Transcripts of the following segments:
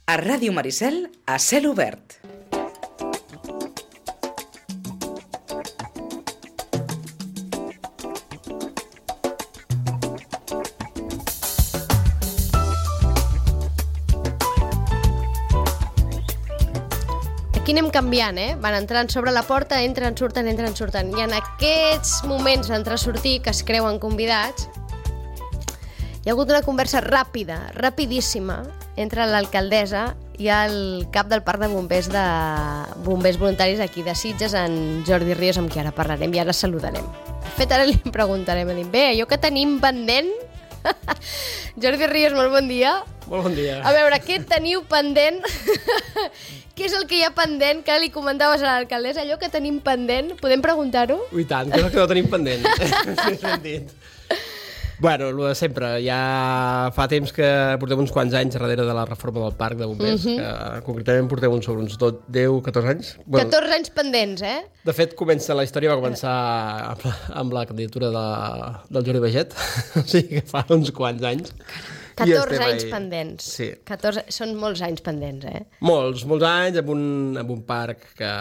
A Ràdio Maricel, a cel obert. Aquí anem canviant, Van entrant sobre la porta, entren, surten. I en aquests moments d'entrar-sortir, que es creuen convidats, hi ha hagut una conversa ràpida, rapidíssima, entre l'alcaldessa i el cap del parc de bombers voluntaris aquí de Sitges, en Jordi Ríos, amb qui ara parlarem i ara saludarem. De fet, ara li preguntarem, bé, allò que tenim pendent... Jordi Ríos, molt bon dia. Molt bon dia. A veure, què teniu pendent? Què és el que hi ha pendent? Que li comentaves a l'alcaldessa, allò que tenim pendent? Podem preguntar-ho? Ui, tant, què és el que no tenim pendent? Bueno, el de sempre. Ja fa temps que portem uns quants anys darrere de la reforma del parc de bombers, que concretament portem sobre uns 10, 14 anys. 14 anys pendents, De fet, la història va començar amb la candidatura del Jordi Baget, o sigui que fa uns quants anys. 14 anys pendents. Sí. 14, són molts anys pendents, Molts anys, amb un parc que,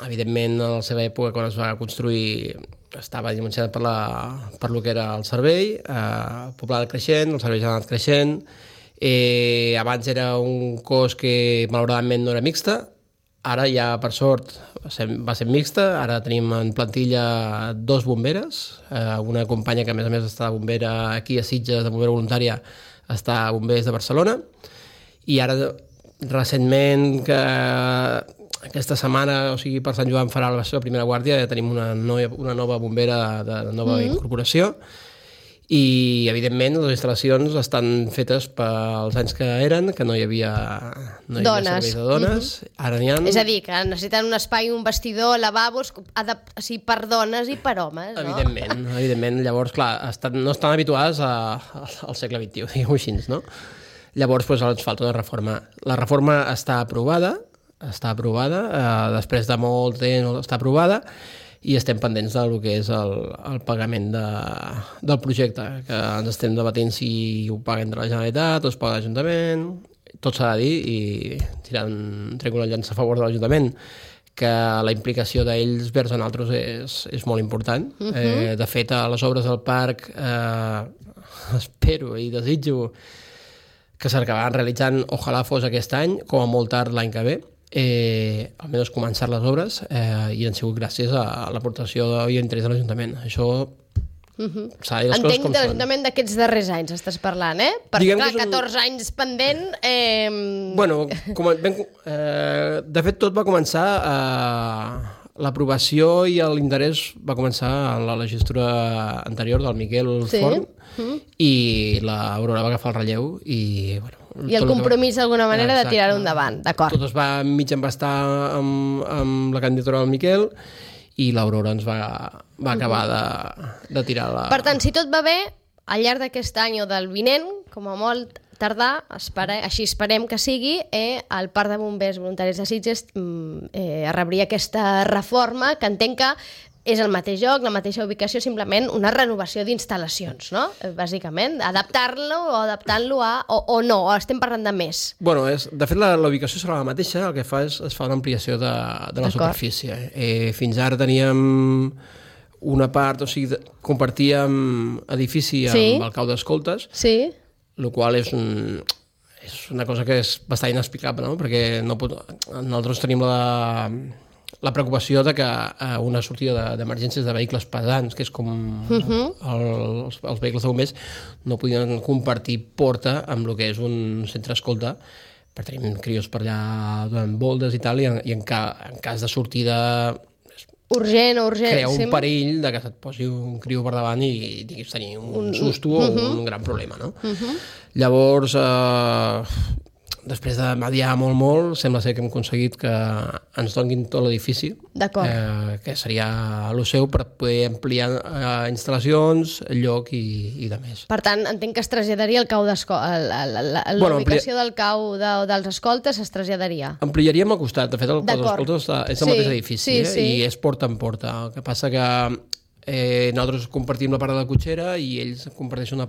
evidentment, a la seva època, quan es va construir, estava dimensionat per lo que era el servei, poblat creixent, el servei ja ha anat creixent. Abans era un cos que, malauradament, no era mixta. Ara ja, per sort, va ser mixta. Ara tenim en plantilla 2 bomberes, una companya que, a més, està bombera aquí a Sitges, de bombera voluntària, està a Bombers de Barcelona, i ara, recentment, que aquesta setmana, o sigui, per Sant Joan farà la seva primera guàrdia, ja tenim una nova bombera de nova incorporació, i, evidentment, les instal·lacions estan fetes pels anys que eren, que no hi havia servei de dones. Ara n'hi ha... És a dir, que necessiten un espai, un vestidor, lavabos, per dones i per homes, no? Evidentment. Llavors, clar, no estan habituades al segle XXI, diguem-ho així, no? Llavors, ens falta una reforma. La reforma està aprovada, després de molt temps està aprovada, i estem pendents del que és el pagament del projecte, que ens estem debatent si ho paguen de la Generalitat o es paga l'Ajuntament. Tot s'ha de dir, i trec una llança a favor de l'Ajuntament, que la implicació d'ells vers a nosaltres és molt important. De fet, a les obres del parc espero i desitjo que s'acabaran realitzant, ojalà fos aquest any, com a molt tard l'any que ve, almenys començar les obres, i han sigut gràcies a l'aportació i l'interès de l'Ajuntament. Això s'ha de dir les coses com són. Entenc de l'Ajuntament d'aquests darrers anys estàs parlant, Perquè, clar, 14 anys pendent... Bueno, de fet, tot va començar... L'aprovació i l'interès va començar en la legislatura anterior del Miquel Forn, i l'Aurora va agafar el relleu, i... I el compromís, d'alguna manera, de tirar-ho endavant, d'acord. Tot es va mig embastar amb la candidatura del Miquel, i l'Aurora ens va acabar de tirar la... Per tant, si tot va bé, al llarg d'aquest any o del vinent, com a molt tardar, així esperem que sigui, el Parc de Bombers Voluntaris de Sitges rebria aquesta reforma, que entenc que és el mateix lloc, la mateixa ubicació, simplement una renovació d'instal·lacions, no? Bàsicament, adaptar-lo o adaptant-lo o no, o estem parlant de més? Bueno, de fet, la ubicació serà la mateixa, el que fa és fa una ampliació de la superfície. Fins ara teníem una part, o sigui, compartíem edifici amb el cau d'escoltes, el qual és una cosa que és bastant inexplicable, no? Perquè nosaltres tenim la preocupació de que una sortida d'emergències de vehicles pesants, que és com els vehicles de bombers, no podien compartir porta amb el que és un centre escolta, perquè tenim crios per allà donant voltes i tal, i en cas de sortida urgent, crea un perill de que se't posi un criu per davant i diguis tenir un susto o un gran problema, no? Llavors, després de mediar molt, sembla ser que hem aconseguit que ens donin tot l'edifici, que seria el seu, per poder ampliar instal·lacions, lloc i de més. Per tant, entenc que es traslladaria el cau la ubicació del cau dels escoltes es traslladaria. Ampliaríem al costat. De fet, el cau dels escoltes és el mateix edifici, i és porta en porta. El que passa que nosaltres compartim la part de la cotxera i ells comparteixen una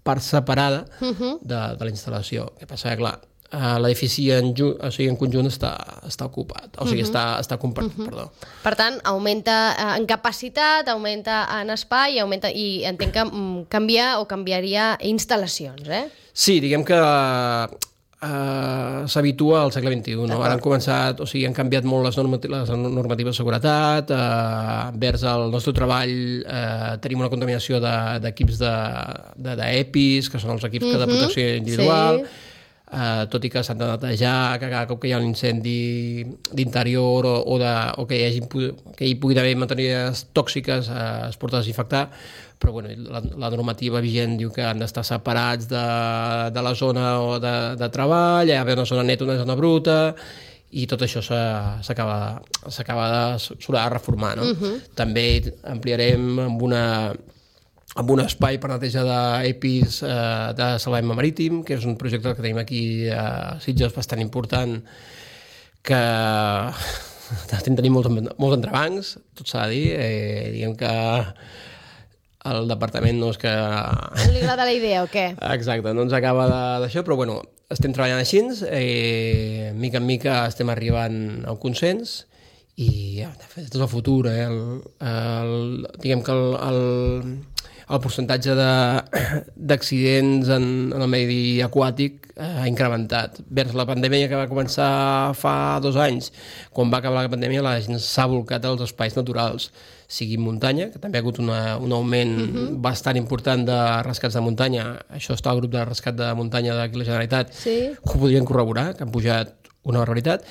part separada de la instal·lació. El que passa que, clar, l'edifici en conjunt està ocupat, o sigui, està compartit, perdó. Per tant, augmenta en capacitat, augmenta en espai i entenc que canviaria instal·lacions, eh? Sí, diguem que s'habitua al segle XXI. No? Ara han començat, o sigui, han canviat molt les normatives de seguretat, vers el nostre treball tenim una contaminació d'equips d'EPIs, que són els equips de protecció individual, tot i que s'han de netejar, que cada cop que hi ha un incendi d'interior o que hi pugui haver matèries tòxiques es pot desinfectar, però bueno, la normativa vigent diu que han d'estar separats de la zona de treball, hi ha d'haver una zona neta, una zona bruta, i tot això s'acaba de reformar. No? També ampliarem amb un espai per neteja d'EPIs de salvament marítim, que és un projecte que tenim aquí a Sitges bastant important, que tenim molts entrebancs, tot s'ha de dir, diguem que el departament no és que... No li agrada la idea o què? Exacte, no ens acaba d'això, però bueno, estem treballant així, mica en mica estem arribant a un consens i de fet és el futur, diguem que el percentatge d'accidents en el medi aquàtic ha incrementat. Vers la pandèmia que va començar fa 2 anys, quan va acabar la pandèmia, la gent s'ha volcat als espais naturals, sigui muntanya, que també ha hagut un augment bastant important de rescats de muntanya. Això està al grup de rescat de muntanya d'aquí la Generalitat, que ho podrien corroborar, que han pujat una barbaritat.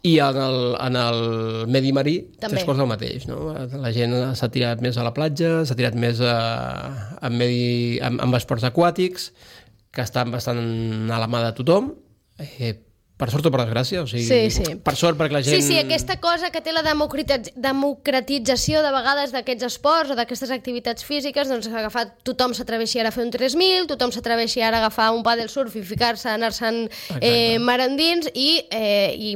I en el medi marí tres quarts del mateix. No? La gent s'ha tirat més a la platja, s'ha tirat més amb esports aquàtics, que estan bastant a la mà de tothom, per sort o per desgràcia, o sigui, per sort perquè la gent... Sí, aquesta cosa que té la democratització de vegades d'aquests esports o d'aquestes activitats físiques, doncs tothom s'atreveixi ara a fer un 3.000, tothom s'atreveixi ara a agafar un pàdel surf i ficar-se, anar-se'n mar endins i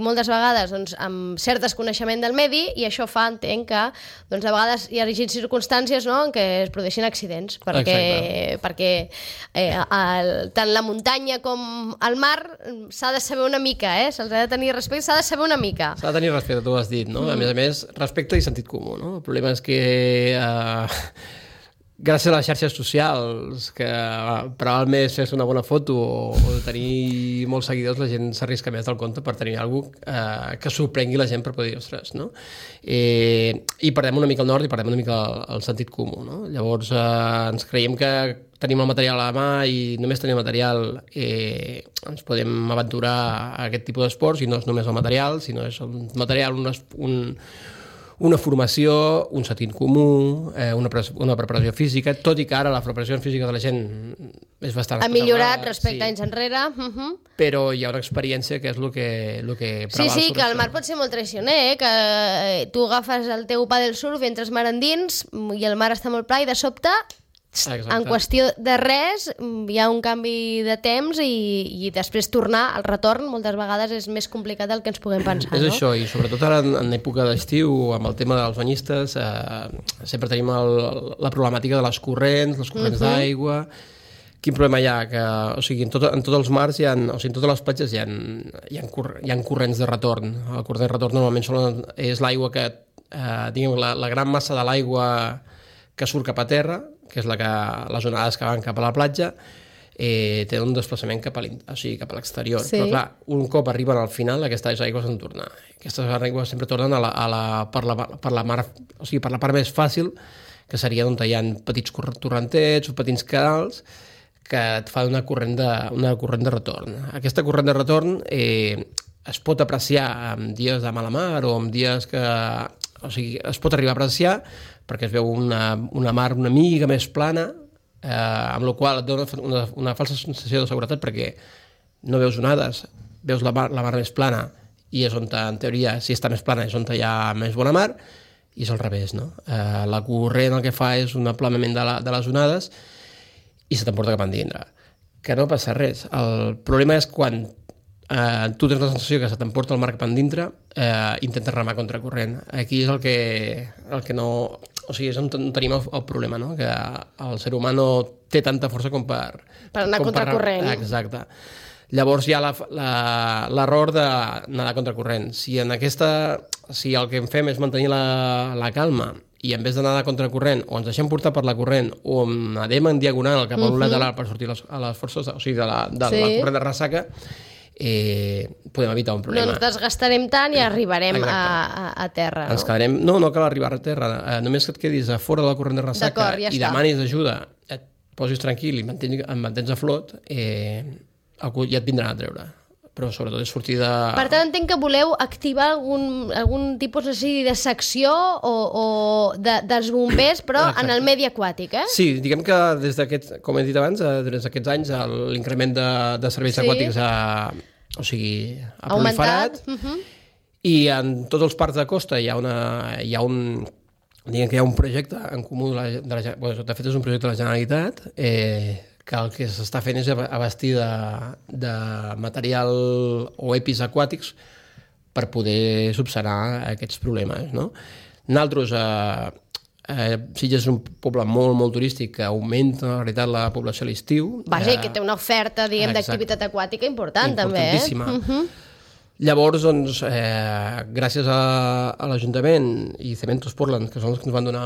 moltes vegades doncs, amb cert desconeixement del medi, i això fa, entenc, que doncs, a vegades hi hagi circumstàncies, no?, en què es produeixin accidents, perquè tant la muntanya com el mar s'ha de saber una mica, se'ls ha de tenir respecte, s'ha de saber una mica. S'ha de tenir respecte, tu ho has dit, no? A més, respecte i sentit comú, no? El problema és que gràcies a les xarxes socials, que per al més fer una bona foto o tenir molts seguidors, la gent s'arrisca més del compte per tenir alguna que sorprengui la gent per poder dir, ostres, no? I perdem una mica el nord i perdem una mica el sentit comú, no? Llavors ens creiem que tenim el material a la mà i només tenim material ens podem aventurar a aquest tipus d'esports, i no és només el material, sinó és un material, una formació, un sentit comú, una preparació física, tot i que ara la preparació física de la gent és bastant... Ha millorat respecte a anys enrere. Però hi ha una experiència que és el que preval. Sí, que el mar pot ser molt traicioner, que tu agafes el teu pàdel surf i entres mar endins i el mar està molt pla i de sobte... En qüestió de res hi ha un canvi de temps i després tornar al retorn moltes vegades és més complicat del que ens puguem pensar. És això, i sobretot ara en època d'estiu, amb el tema dels banyistes, sempre tenim la problemàtica de les corrents d'aigua. Quin problema hi ha? O sigui, en tots els mars, en totes les platges hi ha corrents de retorn. El corrent de retorn normalment és l'aigua que, diguem, la gran massa de l'aigua que surt cap a terra, que és les onades que van cap a la platja, tenen un desplaçament cap a l'exterior. Però clar, un cop arriben al final, aquestes aigües han de tornar. Aquestes aigües sempre tornen per la mar, o sigui, per la part més fàcil, que seria on hi ha petits torrentets o petits canals, que et fa una corrent de retorn. Aquesta corrent de retorn es pot apreciar en dies de mala mar o en dies que... O sigui, es pot arribar a apreciar perquè es veu una mar una mica més plana, amb la qual et dona una falsa sensació de seguretat perquè no veus onades, veus la mar més plana i és on, en teoria, si està més plana és on hi ha més bona mar, i és al revés, no? La corrent el que fa és un aplanament de les onades i se t'emporta cap endintre. Que no passa res. El problema és quan tu tens la sensació que se t'emporta el mar cap endintre, intentes remar contra corrent. Aquí és el que no... O sigui, és on tenim el problema, no? Que el ser humà no té tanta força com per... Per anar contra corrent. Exacte. Llavors hi ha l'error de nedar contracorrent. Si el que en fem és mantenir la calma i en vez de nedar contracorrent o ens deixem portar per la corrent o nedem en diagonal cap a un lateral per sortir a les forces, o sigui, de la corrent de ressaca, podem evitar un problema. No ens desgastarem tant i arribarem a terra. Ens quedarem... No cal arribar a terra. Només que et quedis a fora de la corrent de ressaca i demanis ajuda, et posis tranquil i em mantens a flot, ja et vindran a treure. Però sobretot és sortir de... Per tant, entenc que voleu activar algun tipus de secció o dels bombers, però en el medi aquàtic, Sí, diguem que des d'aquests, com he dit abans, des d'aquests anys l'increment de serveis aquàtics ha proliferat i en tots els parcs de costa hi ha un projecte en comú, de fet és un projecte de la Generalitat, que el que s'està fent és abastir de material o EPIs aquàtics per poder subsanar aquests problemes, no? Nosaltres, Sitges és un poble molt, molt turístic que augmenta, en realitat, la població a l'estiu. Vaja, i que té una oferta, diguem, d'activitat aquàtica important, també, importantíssima. Llavors, doncs, gràcies a l'Ajuntament i Cementos Portland, que són els que ens van donar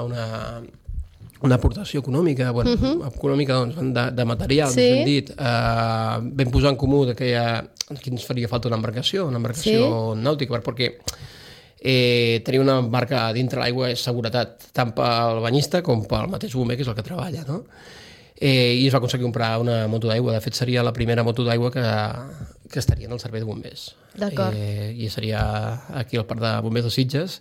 una aportació econòmica, econòmica doncs, de material, més ben dit, vam posar en comú que aquí ens faria falta una embarcació nàutica, perquè tenir una barca dintre l'aigua és seguretat, tant pel banyista com pel mateix bomber, que és el que treballa, no? I es va aconseguir comprar una moto d'aigua. De fet, seria la primera moto d'aigua que estaria en el servei de bombers. D'acord. I seria aquí al Parc de Bombers de Sitges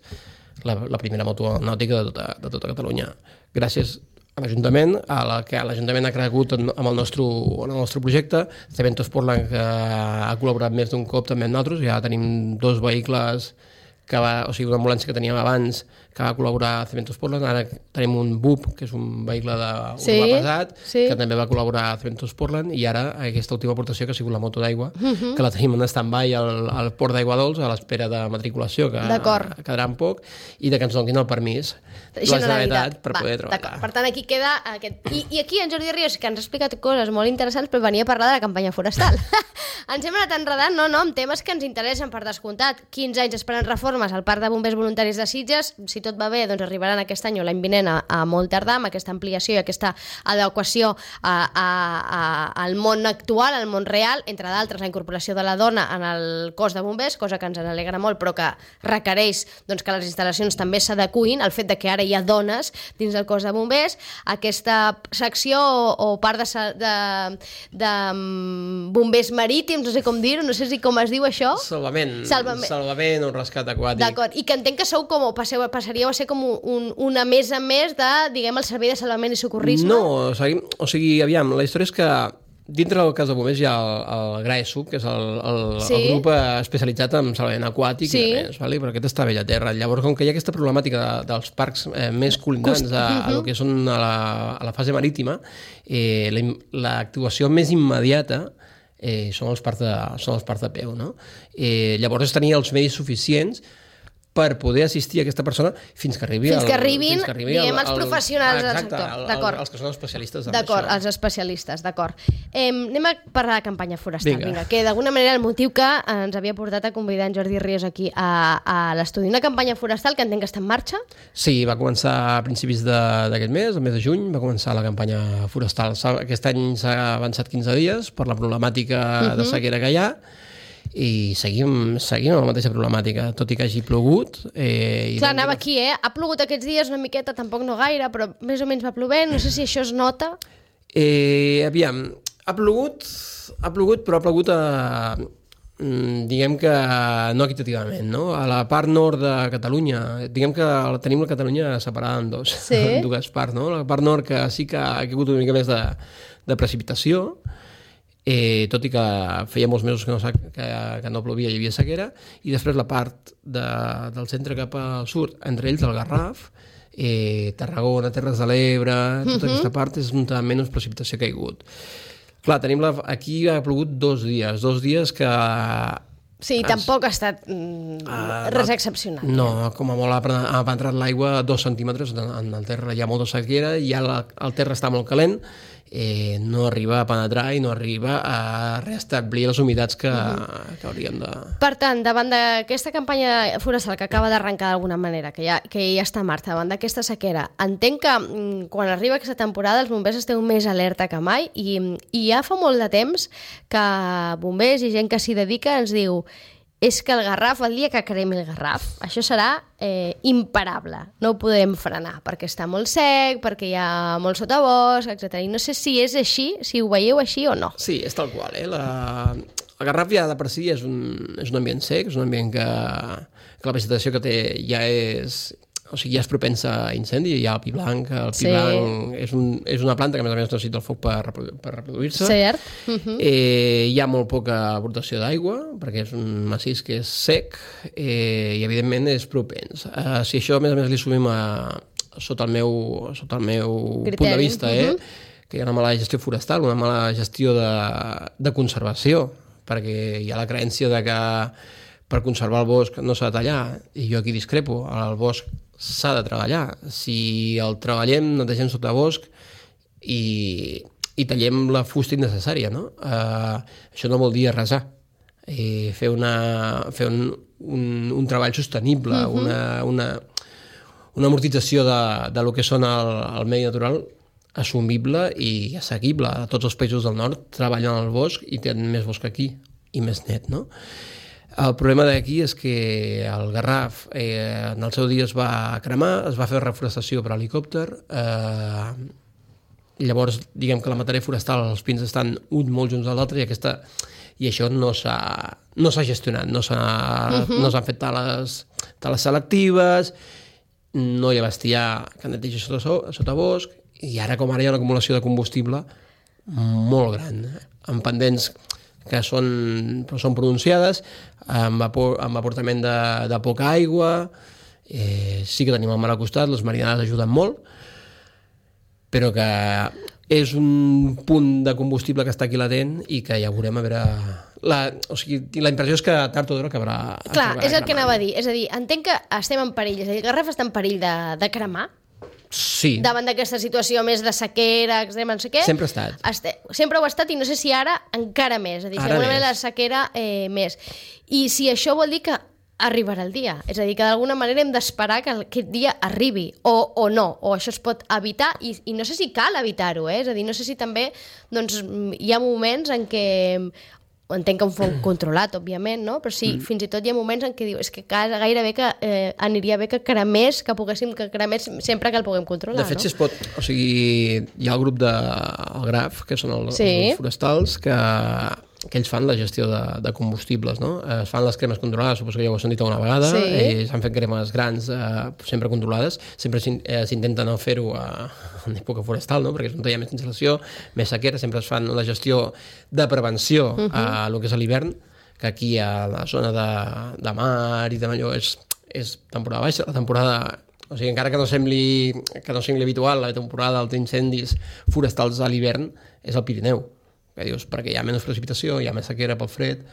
la primera moto nàutica de tota Catalunya. Gràcies a l'Ajuntament, que l'Ajuntament ha cregut en el nostre projecte. Cementos Portland, que ha col·laborat més d'un cop també amb nosaltres. Ja tenim 2 vehicles, una ambulància que teníem abans, que va col·laborar a Cementos Portland. Ara tenim un BUP, que és un vehicle urbà pesat, que també va col·laborar a Cementos Portland, i ara aquesta última aportació, que ha sigut la moto d'aigua, que la tenim en stand-by al port d'Aigua Dols, a l'espera de matriculació, que quedarà en poc, i de que ens donin el permís la Generalitat per poder treballar. Per tant, aquí queda aquest... I aquí en Jordi Ríos, que ens ha explicat coses molt interessants, però venia a parlar de la campanya forestal. Ens hem anat enredant, amb temes que ens interessen, per descomptat. 15 anys esperant reformes al Parc de Bombers Voluntaris de Sitges. Si tot va bé, doncs arribaran aquest any o l'any vinent a molt tardar, amb aquesta ampliació i aquesta adequació al món actual, al món real, entre d'altres la incorporació de la dona en el cos de bombers, cosa que ens alegra molt, però que requereix que les instal·lacions també s'adequin al fet de que ara hi ha dones dins del cos de bombers. Aquesta secció o part de bombers marítims, no sé com dir-ho, no sé com es diu això. Salvament o rescat aquàtic. D'acord, i que entenc que sou passaríeu a ser com una mesa més de, diguem, el servei de salvament i socorrisme? No, aviam, la història és que dintre del cas de bombers hi ha el GRAESUB, que és el grup especialitzat en salvament aquàtic, però aquest està vell a terra. Llavors, com que hi ha aquesta problemàtica dels parcs més col·linants a lo que són a la fase marítima, l'actuació més immediata són els parcs de peu, no? Llavors, tenir els medis suficients per poder assistir a aquesta persona fins que arribin, diguem, els professionals del sector. D'acord. Els que són especialistes en d'acord, això. Els especialistes, d'acord. Anem a parlar de campanya forestal, que d'alguna manera el motiu que ens havia portat a convidar en Jordi Ríos aquí a l'estudi. Una campanya forestal que entenc que està en marxa? Sí, va començar a principis d'aquest mes, el mes de juny, va començar la campanya forestal. Aquest any s'ha avançat 15 dies per la problemàtica de sequera que hi ha, i seguim amb la mateixa problemàtica, tot i que hagi plogut. Clar, anava aquí, ha plogut aquests dies una miqueta, tampoc no gaire, però més o menys va plovent, no sé si això es nota. Aviam, ha plogut, però ha plogut diguem que no equitativament, no? A la part nord de Catalunya, diguem que tenim la Catalunya separada en dues parts, no? La part nord, que sí que ha caigut una mica més de precipitació, tot i que feia molts mesos que no plovia, hi havia sequera, i després la part del centre cap al sud, entre ells el Garraf, Tarragona, Terres de l'Ebre, tota aquesta part és on menys precipitació que ha caigut. Clar, aquí ha plogut 2 dies que... Sí, tampoc ha estat res excepcional. No, com a molt ha entrat l'aigua 2 centímetres en el terra, hi ha molta sequera, i el terra està molt calent, no arriba a penetrar i no arriba a restablir les humitats que hauríem de... Per tant, davant d'aquesta campanya forestal que acaba d'arrencar d'alguna manera, que ja està en marxa, davant d'aquesta sequera, entenc que quan arriba aquesta temporada els bombers esteu més alerta que mai i ja fa molt de temps que bombers i gent que s'hi dedica ens diu és que el Garraf, el dia que cremi el Garraf, això serà imparable. No ho podem frenar, perquè està molt sec, perquè hi ha molt sotabosc, etc. I no sé si és així, si ho veieu així o no. Sí, és tal qual. El Garraf ja de per si és un ambient sec, és un ambient que la vegetació que té ja és... O sigui, ja és propensa a incendi, hi ha el pi blanc. El pi blanc és una planta que, a més necessita el foc per reproduir-se. Cert. Hi ha molt poca aportació d'aigua, perquè és un massís que és sec i, evidentment, és propens. Si això, a més, li sumim sota el meu punt de vista, que hi ha una mala gestió forestal, una mala gestió de conservació, perquè hi ha la creença de que per conservar el bosc no s'ha de tallar, i jo aquí discrepo, el bosc s'ha de treballar. Si el treballem, netegem sota bosc i tallem la fusta innecessària, no? Això no vol dir arrasar. Fer un treball sostenible, una amortització de lo que són el medi natural assumible i assequible. Tots els països del nord treballen al bosc i tenen més bosc aquí i més net, no? El problema d'aquí és que el Garraf en el seu dia es va cremar, es va fer reforestació per helicòpter, llavors diguem que la matèria forestal, els pins estan un molt junts a l'altre i això no s'ha gestionat, no s'han fet tales selectives, no hi ha bestiar que netegi sota bosc, i ara com ara hi ha una acumulació de combustible molt gran, amb pendents que són pronunciades, amb aportament de poca aigua, sí que tenim el mar al costat, les marinades ajuden molt, però que és un punt de combustible que està aquí latent i que ja veurem a veure... O sigui, la impressió és que tard o d'hora acabarà... Clar, és el que anava a dir. És a dir, entenc que estem en perill, és a dir, el Garraf està en perill de cremar, sí. Davant d'aquesta situació més de sequera, extrema, no sé què. Sempre ha estat. Sempre ho ha estat i no sé si ara encara més. És a dir, segurament la sequera més. I si això vol dir que arribarà el dia. És a dir, que d'alguna manera hem d'esperar que aquest dia arribi, o no, o això es pot evitar, i no sé si cal evitar-ho, És a dir, no sé si també doncs, hi ha moments en què... Entenc que un foc controlat, òbviament, no? Però sí, fins i tot hi ha moments en què diu és que gairebé que aniria bé que cremés, que poguéssim que cremés sempre que el puguem controlar, De fet, no? si es pot... O sigui, hi ha el grup del GRAF, que són els forestals, que ells fan la gestió de combustibles, no? Es fan les cremes controlades, suposo que ja ho heu sentit alguna vegada, s'han fet cremes grans, sempre controlades, sempre s'intenta no fer-ho en època forestal, no? Perquè és on hi ha més instal·lació, més sequera, sempre es fan la gestió de prevenció a lo que és l'hivern, que aquí a la zona de mar i de allò és temporada baixa, la temporada... O sigui, encara que no sembli habitual, la temporada d'incendis forestals a l'hivern és el Pirineu, que dius, perquè hi ha menys precipitació, hi ha més sequera pel fred,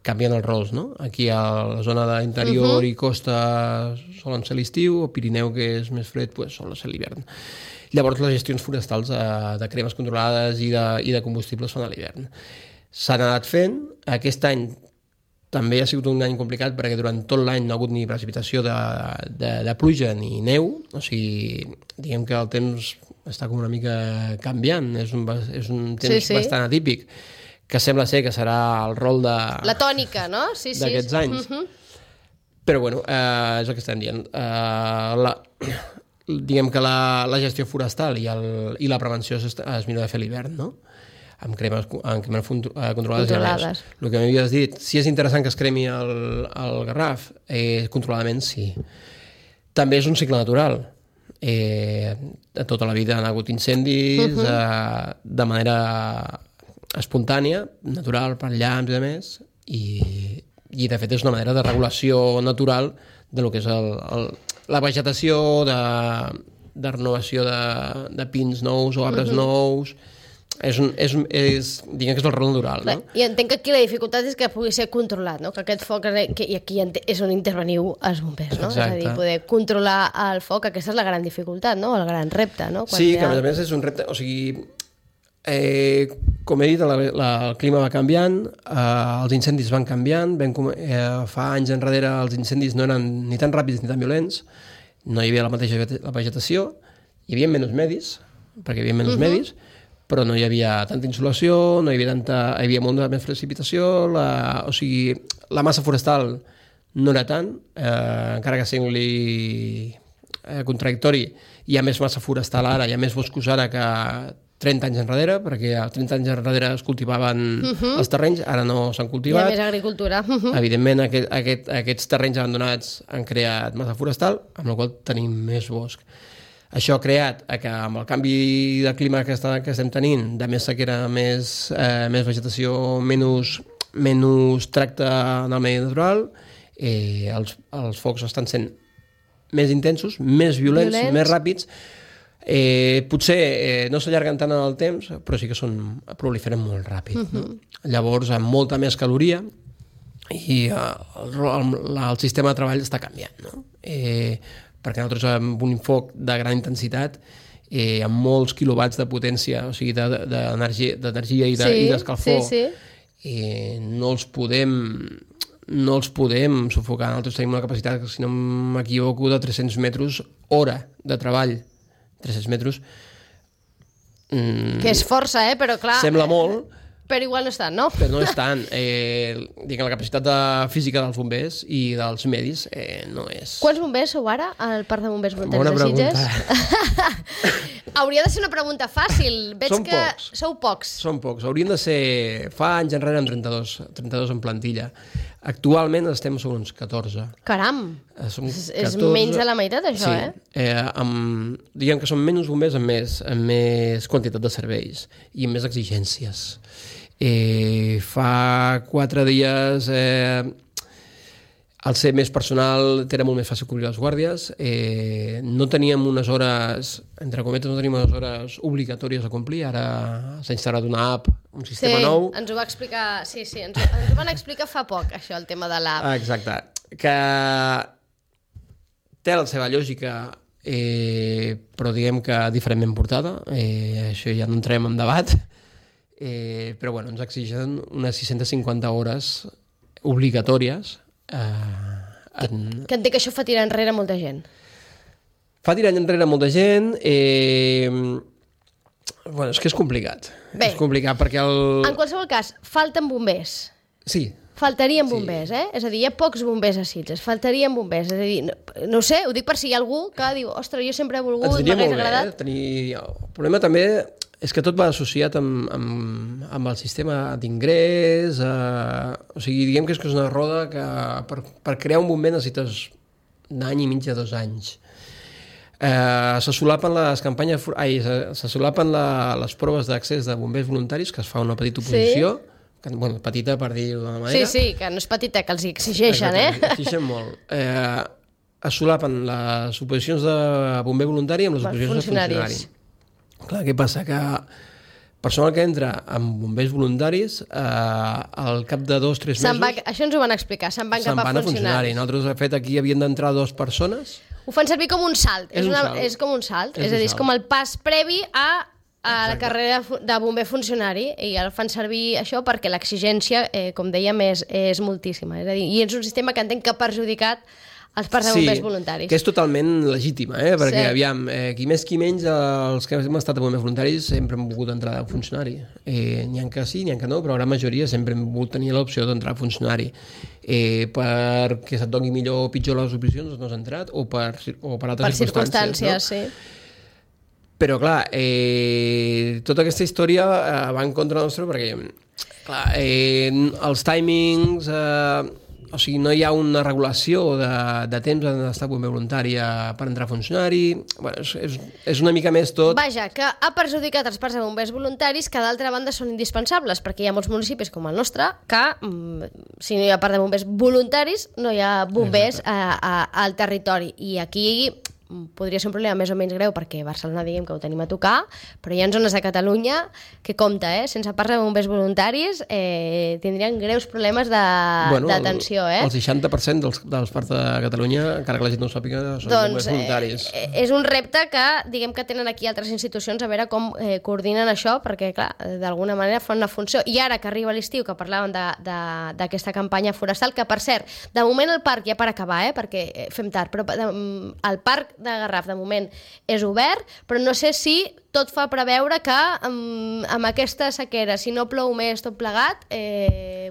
canvien els rols, no? Aquí a la zona d'interior i costa solen ser l'estiu, el Pirineu, que és més fred, pues, solen ser l'hivern. Llavors les gestions forestals de cremes controlades i de combustibles fan a l'hivern. S'han anat fent, aquest any també ha sigut un any complicat perquè durant tot l'any no ha hagut ni precipitació de pluja ni neu, o sigui, diguem que el temps està com una mica canviant, és un temps bastant atípic, que sembla ser que serà el rol de... La tònica, no? D'aquests anys. Però bueno, és el que estem dient. Diguem que la gestió forestal i la prevenció es millor de fer a l'hivern, no? Amb cremes controlades. El que m'havies dit, si és interessant que es cremi el Garraf, controladament sí. També és un cicle natural. Tota la vida han hagut incendis de manera espontània, natural, per llamps i de més, i de fet és una manera de regulació natural de lo que és la vegetació, de renovació de pins nous o arbres nous. diguem que és el rol natural, no? I entenc que aquí la dificultat és que pugui ser controlat, no? Que aquest foc, i aquí és on interveniu els bombers, no? Exacte. És a dir, poder controlar el foc, aquesta és la gran dificultat, no? El gran repte, no? Sí, que a més és un repte, o sigui, com he dit, el clima va canviant, els incendis van canviant, fa anys enrere els incendis no eren ni tan ràpids ni tan violents, no hi havia la mateixa vegetació, hi havia menys medis, perquè hi havia menys medis, però no hi havia tanta insolació, hi havia molta més precipitació, o sigui, la massa forestal no era tant, encara que sembli contradictori, hi ha més massa forestal ara, hi ha més boscos ara que 30 anys enrere, perquè 30 anys enrere es cultivaven els terrenys, ara no s'han cultivat. Hi ha més agricultura. Evidentment, aquests terrenys abandonats han creat massa forestal, amb la qual tenim més bosc. Això ha creat que amb el canvi de clima que estem tenint, de més sequera, més vegetació, menys tracte en el medi natural, els focs estan sent més intensos, més violents, més ràpids. Potser no s'allarguen tant en el temps, però sí que proliferen molt ràpid. No? Llavors, amb molta més caloria, i el sistema de treball està canviant. No? Perquè nosaltres amb un foc de gran intensitat, amb molts quilowatts de potència, o sigui, d'energia i d'escalfor, no els podem sufocar. Nosaltres tenim una capacitat, si no m'equivoco, de 300 metres hora de treball. 300 metres. Que és força, però clar... Sembla molt. Però igual no és tant, no? Però no és tant. La capacitat física dels bombers i dels medis no és... Quants bombers sou ara al Parc de Bombers Voluntaris de Sitges? Hauria de ser una pregunta fàcil. Veig que sou pocs. Som pocs. Haurien de ser... Fa anys enrere amb 32 en plantilla. Actualment estem sobre uns 14. Caram! És menys de la meitat, això, Diguem que són menys bombers amb més quantitat de serveis i amb més exigències. Fa 4 dies, al ser més personal, era molt més fàcil cobrir les guàrdies. No teníem unes hores, entre cometes, obligatòries a complir. Ara s'ha instal·lat una app, un sistema nou. Ens ho va explicar, ens ho van explicar fa poc, això, el tema de l'app. Exacte. Que té la seva lògica, però diguem que diferentment portada. Això ja no entrem en debat. Però bueno, ens exigen unes 650 hores obligatòries. Que entenc que això fa tirar enrere molta gent. Fa tirar enrere molta gent. Bueno, és que és complicat. És complicat perquè En qualsevol cas, falten bombers. Sí. Faltarien bombers, És a dir, hi ha pocs bombers a Sitges, faltarien bombers. És a dir, no ho sé, ho dic per si hi ha algú que diu, ostres, jo sempre he volgut, m'hagués agradat. El problema també és que tot va associat amb el sistema d'ingrés, o sigui, diguem que és una roda que per crear un bomber necessites un any i mig a 2 anys. Se solapen se solapen les proves d'accés de bombers voluntaris, que es fa una petita oposició, petita per dir-ho d'una manera. Sí, que no és petita, que els exigeixen, Exigeixen molt. Es solapen les oposicions de bomber voluntari amb les oposicions de funcionari. Clar, què passa? Que personal que entra amb bombers voluntaris, al cap de 2 o 3 mesos... Això ens ho van explicar, se'n van cap a funcionaris. Nosaltres, de fet, aquí havien d'entrar 2 persones. Ho fan servir com un salt. És com un salt. És a dir, és com el pas previ a la carrera de bomber funcionari, i el fan servir això perquè l'exigència, com dèiem, és moltíssima. És a dir, i és un sistema que entenc que ha perjudicat els parcs de bombers voluntaris. Que és totalment legítima, perquè, aviam, qui més qui menys, els que hem estat a bombers voluntaris sempre hem volgut entrar a funcionari. N'hi ha que sí, n'hi ha que no, però la gran majoria sempre hem volgut tenir l'opció d'entrar a funcionari. Perquè se't doni millor o pitjor les opcions, no has entrat, o per altres circumstàncies, sí. Però, clar, tota aquesta història va en contra nostre perquè, clar, els timings... O sigui, no hi ha una regulació de temps d'estar bomber voluntari per entrar a funcionari. Bueno, és una mica més tot... Vaja, que ha perjudicat els parcs de bombers voluntaris, que d'altra banda són indispensables, perquè hi ha molts municipis com el nostre que, si no hi ha parc de bombers voluntaris, no hi ha bombers al territori. I aquí, podria ser un problema més o menys greu perquè Barcelona diguem que ho tenim a tocar, però hi ha zones de Catalunya que compta, sense parcs de bombers voluntaris tindrien greus problemes d'atenció. El 60% dels parcs de Catalunya, encara que la gent no ho sàpiga, són bombers voluntaris. És un repte que diguem que tenen aquí altres institucions a veure com coordinen això, perquè clar, d'alguna manera fan una funció. I ara que arriba l'estiu, que parlàvem d'aquesta campanya forestal, que per cert, de moment el parc ja per acabar, perquè fem tard, però el parc de Garraf de moment és obert, però no sé si tot fa preveure que amb aquesta sequera, si no plou més tot plegat,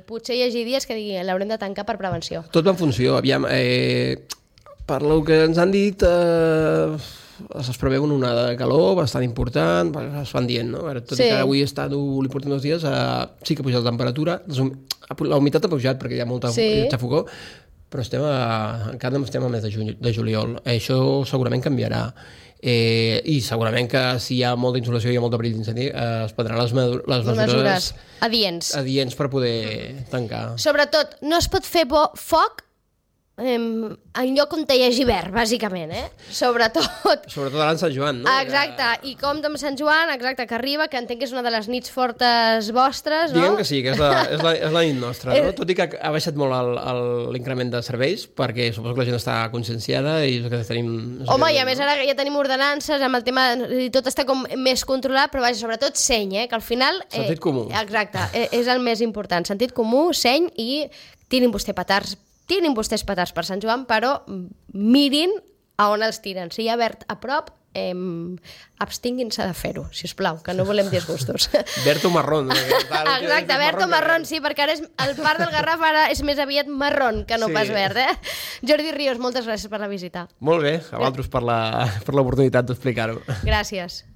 potser hi hagi dies que diguin l'haurem de tancar per prevenció. Tot va en funció, aviam, per lo que ens han dit es preveu una onada de calor bastant important, es van dient, no? Tot i que avui està núvol i portem 2 dies, sí que ha pujat la temperatura, la humitat ha pujat perquè hi ha molta xafogó, però encara estem al mes de juliol. Això segurament canviarà. I segurament que si hi ha molta insolació i hi ha molt perill d'incendi es prendran les mesures adients per poder tancar. Sobretot, no es pot fer foc en lloc on hi hagi verd, bàsicament, Sobretot ara en Sant Joan, no? Exacte, i com amb Sant Joan, exacte, que arriba, que entenc que és una de les nits fortes vostres, no? Diguem que sí, que és la nit nostra, no? Tot i que ha baixat molt l'increment de serveis, perquè suposo que la gent està conscienciada i és el que tenim... Home, i a més ara ja tenim ordenances amb el tema, i tot està com més controlat, però vaja, sobretot seny, que al final... Sentit comú. Exacte, és el més important, sentit comú, seny i tirin vostès petards per Sant Joan, però mirin a on els tiren. Si hi ha verd a prop, abstinguin-se de fer-ho, sisplau, que no volem disgustos. Verd o marrón. Exacte, verd o marrón, sí, perquè ara el parc del Garraf ara és més aviat marrón que no pas verd, Jordi Ríos, moltes gràcies per la visita. Molt bé, a vosaltres per l'oportunitat d'explicar-ho. Gràcies.